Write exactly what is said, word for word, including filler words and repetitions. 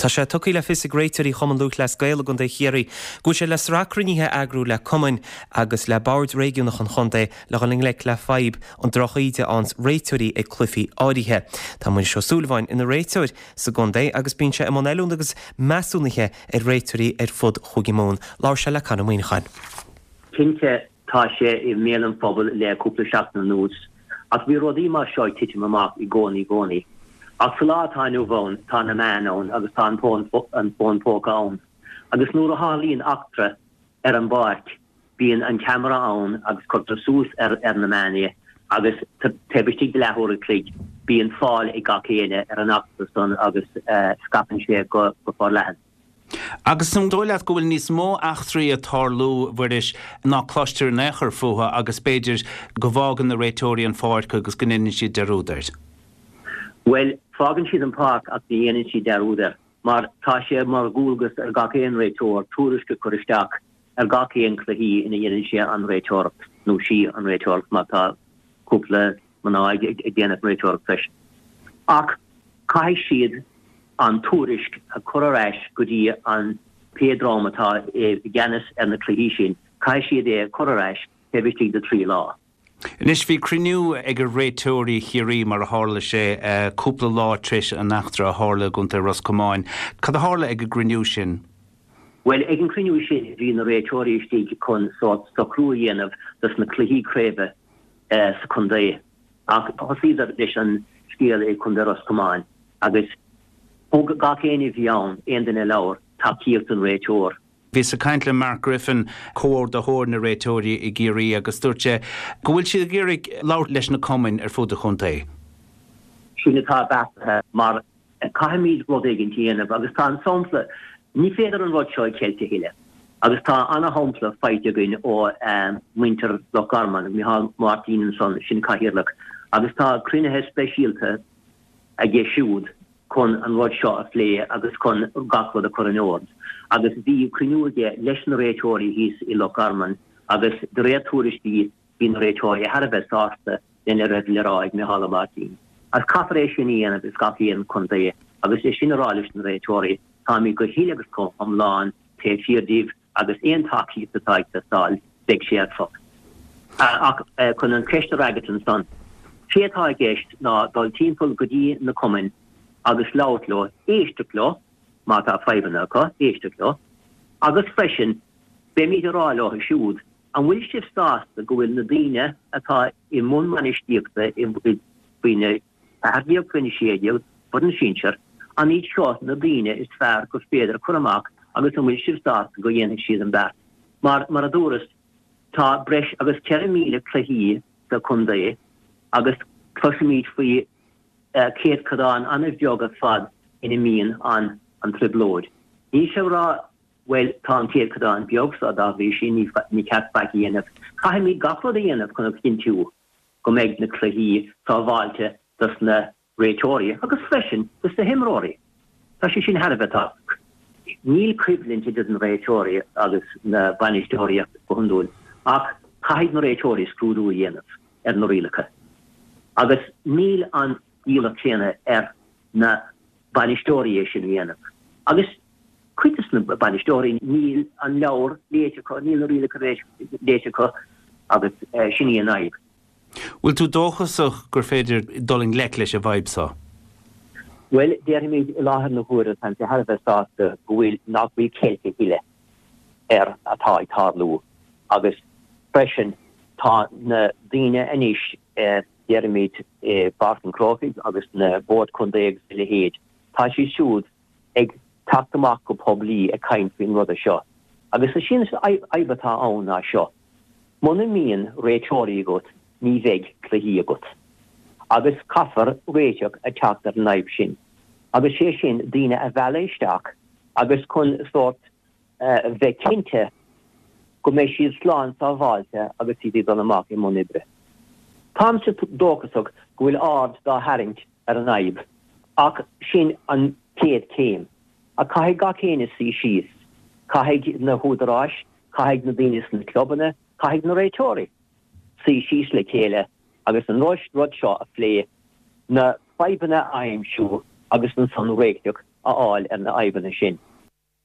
Tá sé tugtha le fios ag réiteoirí Chumann Lúthchleas Gael i gContae Chiarraí go bhfuil sé le sraith cruinnithe a eagrú le cumainn agus le boird réigiúnach an chontae le dhul i ngleic le fadhb an drochíde a fhaigheanns réiteoirí ag cluichí áirithe. Tá Muiris Ó Súilleabháin ina réiteoir sa gcontae agus bíonn sé i mbun oiliúna agus measúnaithe ar réiteoirí ar fud Chúige Mumhan. Labhair sé le Conor Ó Muíneacháin. Cinnte tá sé i mbéal an phobail le cúpla seachtain anuas, ach bhí rudaí mar seo ag titim amach i gcónaí i gcónaí. Ach sa lá atá inniu ann tá na meáin ann agus tá an fón póca ann. Agus nuair a tharlaíonn eachtra ar an bpáirc bíonn an ceamara ann agus cuirtear suas ar ar na meáin é agus taobh istigh de leathuair a chloig bíonn fáil ag gach éinne ar an eachtra san agus scaipeann sé go go forleathan. Agus an dóigh leat go bhfuil níos mó eachtraí ag tarlú, a Mhuiris, ná cloistear in aon chor fúthu agus b'fhéidir go bhfágann na réiteoirí an pháirc agus go ndéanann siad dearúd air? Bhuel, fágann siad an pháirc ach ní dhéanann siad dearúd air mar tá sé mar dhualgas ar gach aon réiteoir tuairisc a chur isteach ar gach aon cluichí ina dhéanann sé an réiteoireacht nó sí an réiteoireacht má tá cúpla mná ag déanamh an réiteoireacht freisin. Ach caithfidh siad an tuairisc a chur ar ais go dtí an pé dream atá i gceannas ar na cluichí sin, caithfidh siad é a chur ar ais taobh istigh de trí lá. Anois bhí cruinniú ag réiteoirí Chiarraí mar a tharla sé cúpla lá tar éis an eachtra a tharla i gContae Ros Comáin. Cad a tharla ag an gcruinniú sin? Bhuel, ag an cruinniú sin bhí na réiteoirí istigh chun sórt socrú a dhéanamh dos na cluichí craoibhe sa chontae. Ach thosaíodar leis an scéal i gContae Ros Comáin agus thug gach éinne a bhí ann, aon duine a labhair, tacaíocht don réiteoir. Bhíos ag caint le Mark Griffin, comhordaitheoir na réiteoirí i gCiarraí agus dúirt sé go bhfuil siad ag iarraidh labhairt leis na cumainn ar fud an chontae. Sin atá beartaithe mar caithfimid rud éigin a dhéanamh agus tá an sampla, ní féidir an rud seo a cheilt a thuilleadh agus tá ana-shampla faighte againn ó mhuintir Loch Garman, Micheál Martin ansan, sin cathaoirleach, agus tá cruinnithe speisialta aige siúd chun an rud seo a phlé agus chun gach rud a chur in ord. Agus bhí cruinniú aige leis na réiteoirí thíos i Loch Garman agus de réir tuairiscí bhí na réiteoirí thar a bheith sásta lena raibh le rá ag Micheál Ó Máirtín. Agus caithfear é sin a dhéanamh i gach aon chontae agus é sin a rá leis na réiteoirí, táimid go huile agus go hiomlán taobh thiar díobh agus aon tacaíocht atá ag teastáil beidh sé ar fáil. Ach chun an cheist a fhreagairt ansan, sé atá i gceist ná dul timpeall go dtí na cumainn agus labhairt leo, éisteacht leo má tá fadhbanna acu, éisteacht leo, agus freisin beimid ag rá leo siúd, an bhfuil sibh sásta go bhfuil na daoine atá i mbun bainistíochta faoina ceathair déag, faoina sé déag, foireann sinsir, an iad seo na daoine is fearr gur féidir a chur amach agus an bhfuil sibh sásta go dhéanfaidh siad an beart? Mar, mar a dúras, tá breis agus ceithre míle cluichí sa chontae agus cloisimid faoi céatadán an-bheag ar fad ina mbíonn an an trioblóid. Níl sé ag rá, bhuel, tá an céatadán beag so dá bhrí sin ní ní ceart faic a dhéanamh. Caithfimid gach rud a dhéanamh chun a chinntiú go mbeidh na cluichí sábháilte dos na réiteoirí agus freisin dos na himreoirí. Tá sé sin thar a bheith tábhachtach. Níl coimhlint idir na réiteoirí agus na bainisteoirí go hiondúil ach caithfidh na réiteoirí scrúdú a dhéanamh ar na rialacha agus níl an iallach céanna ar na bainisteoirí é sin a dhéanamh. Agus cuid de na bainisteoirí níl an leabhar léite acu, níl na rialacha léite acu agus sin í an fhadhb. Bhfuil tú dóchasach gur féidir dul i ngleic leis an bhfadhb seo? Bhuel, déarfaimid i láthair na huaire táimse thar a bheith sásta go bhfuil nach bhfuil ceilt a thuilleadh ar atá ag tarlú agus freisin tá na daoine anois déarfaimid i bPáirc an Chrócaigh agus na Boird Contae agus a leithéid, tá siad siúd ag teacht amach go poiblí ag caint faoin ruda seo. Agus is sin fhadhb atá ann ná seo. Muna mbíonn réiteoirí agat ní bheidh cluichí agat. Agus caithfear réiteach a teacht ar an fhadhb sin. Agus sé sin daoine a mhealladh isteach agus chun sórt bheith cinnte go mbeidh siad slán sábháilte agus iad ag dul amach i mbun oibre. Táimse dóchasach go bhfuil aird dá tharraingt ar an fhadhb, ach sin an chéad chéim. Ach caithfidh gach éinne suí síos. Caithfidh na húdaráis, caithfidh na daoine sna clubanna, caithfidh na réiteoirí suí síos le chéile agus an rud seo a phlé, na fadhbanna a aimsiú agus ansan réiteach a fháil ar na fadhbanna sin.